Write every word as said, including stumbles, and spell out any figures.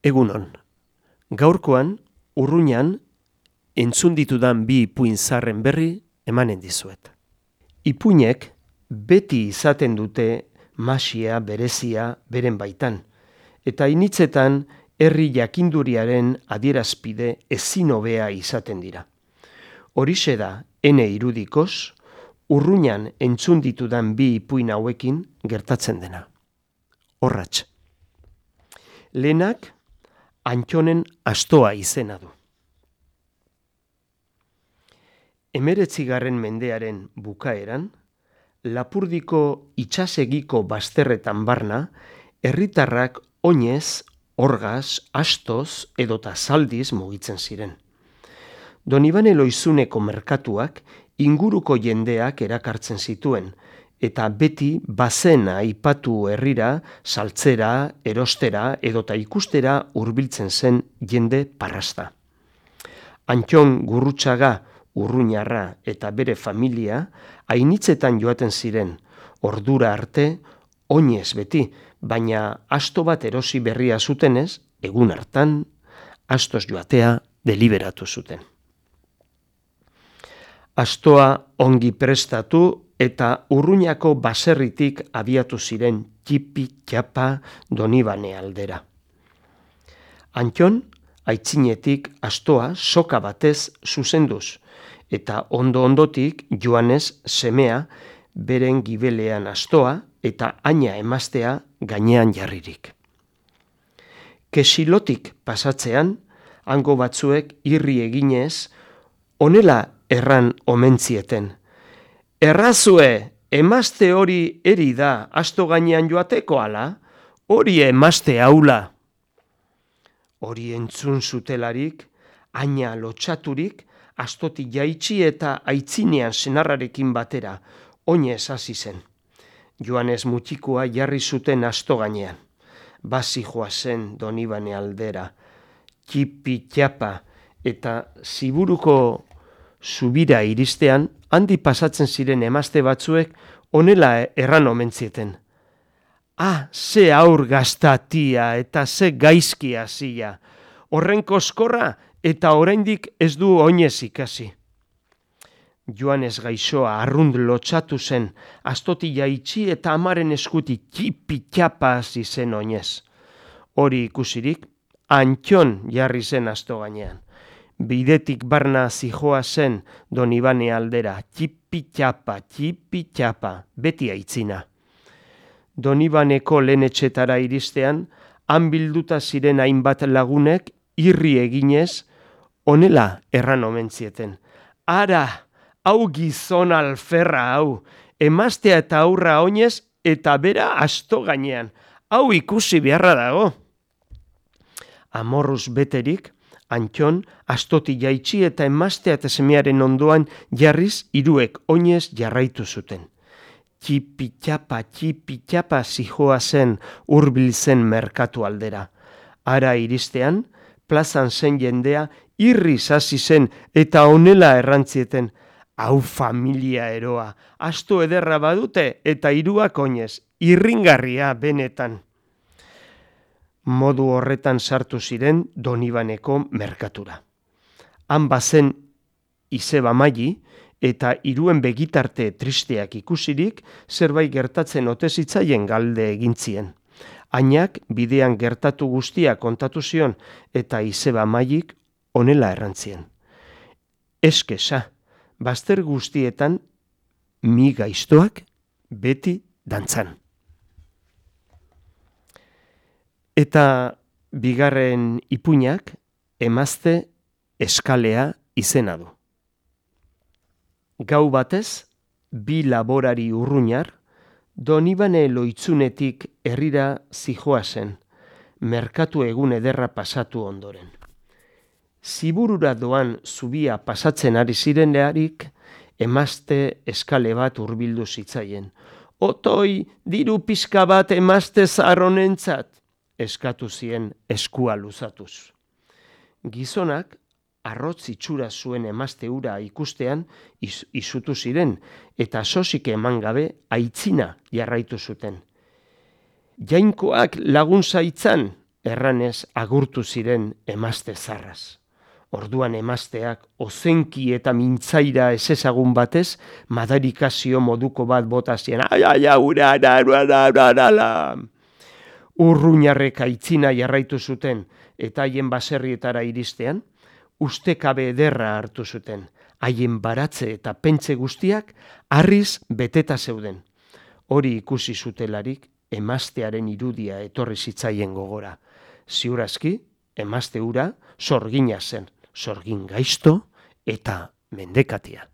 Egunon, gaurkoan, urruñan, entzun ditudan bi ipuin zarren berri emanen dizuet. Ipuinek beti izaten dute masia berezia beren baitan, eta initzetan herri jakinduriaren adierazpide ezin hobea izaten dira. Horixe da, ene irudikoz, urruñan entzun ditudan bi ipuin hauekin gertatzen dena. Horratx. Lehenak, Antxonen astoa izena du. Hemeretzigarren mendearen bukaeran, Lapurdiko itsasegiko bazterretan barna, herritarrak oinez, orgaz, astoz edota zaldiz mugitzen ziren. Donibane Loizuneko merkatuak inguruko jendeak erakartzen zituen, eta beti bazena aipatu herrira, saltzera, erostera edota ikustera hurbiltzen zen jende parrasta. Antxon Gurrutxaga, Urruñarra eta bere familia ainitzetan joaten ziren, ordura arte oinez beti, baina asto bat erosi berria zutenez, egun hartan, astoz joatea deliberatu zuten. Astoa ongi prestatu eta Urruñako baserritik abiatu ziren txipi-txapa Donibane aldera. Antxon, aitzinetik astoa soka batez zuzenduz, eta ondo-ondotik joanez semea beren gibelean astoa eta aina emaztea gainean jarririk. Kesilotik pasatzean, hango batzuek irri eginez, honela erran omentzieten. Errazue, emazte hori eri da asto gainean joateko ala, hori emazte haula. Hori entzun zutelarik, aina lotxaturik, astotik jaitsi eta aitzinean senarrarekin batera, oinez hasi zen. Joanez mutikoa jarri zuten asto gainean. Basi joa zen Donibane aldera, txipi-txapa eta ziburuko zubira iristean, handi pasatzen ziren emazte batzuek honela erran omentzieten. Ah, ze aur gaztatia eta ze gaizki hasia, horren koskorra eta oraindik ez du oinez ikasi. Joanez gaixoa arrund lotxatu zen, astoti jaitsi eta amaren eskuti txipi-txapa hasi zen oinez. Hori ikusirik, Antxon jarri zen asto gainean. Bidetik barna zijoa zen Donibane aldera, txipi-txapa, txipi-txapa, beti aitzina. Donibaneko lehen etxetara iristean, han bilduta ziren hainbat lagunek irri eginez, honela erran omentzieten. Ara, hau gizon alferra hau, emaztea eta aurra oinez eta bera asto gainean, hau ikusi beharra dago. Amorruz beterik, Antxon astoti jaitsi eta emaztea eta semearen ondoan jarriz hiruek oinez jarraitu zuten. Txipi-txapa, txipi-txapa zijoa zen hurbil zen merkatu aldera. Ara iristean, plazan zen jendea irriz hasi zen eta honela errantzieten. Hau familia eroa, asto ederra badute eta hiruak oinez, irringarria benetan. Modu horretan sartu ziren Donibaneko merkatura. Han bazen izeba maili eta hiruen begitarte tristeak ikusirik zerbait gertatzen ote zitzaien galde egintzien. Ainak bidean gertatu guztia kontatu zion eta izeba mailik honela errantzien. Eskesa, bazter guztietan mi gaiztoak beti dantzan. Eta bigarren ipuinak emazte eskalea izena du. Gau batez, bi laborari urruñar, Donibane Loitzunetik herrira zijoa zen, merkatu egun ederra pasatu ondoren. Ziburura doan zubia pasatzen ari zirenearik, emazte eskale bat hurbildu zitzaien. Otoi, diru pixka bat emazte zarronentzat, eskatu zien eskua luzatuz. Gizonak, arrotz itxura zuen emazte hura ikustean iz, izutu ziren, eta sosik eman gabe aitzina jarraitu zuten. Jainkoak lagun zaitzan, erranez agurtu ziren emazte zarraz. Orduan emazteak ozenki eta mintzaira ezezagun batez madarikazio moduko bat bota zien. Ai, ai, ura, ara, ara, ara, ara. Urruñarrek aitzina jarraitu zuten eta haien baserrietara iristean, ustekabe ederra hartu zuten. Haien baratze eta pentze guztiak harriz beteta zeuden. Hori ikusi zutelarik emaztearen irudia etorri zitzaien gogora. Ziurazki, emazte hura sorgina zen, sorgin gaizto eta mendekatia.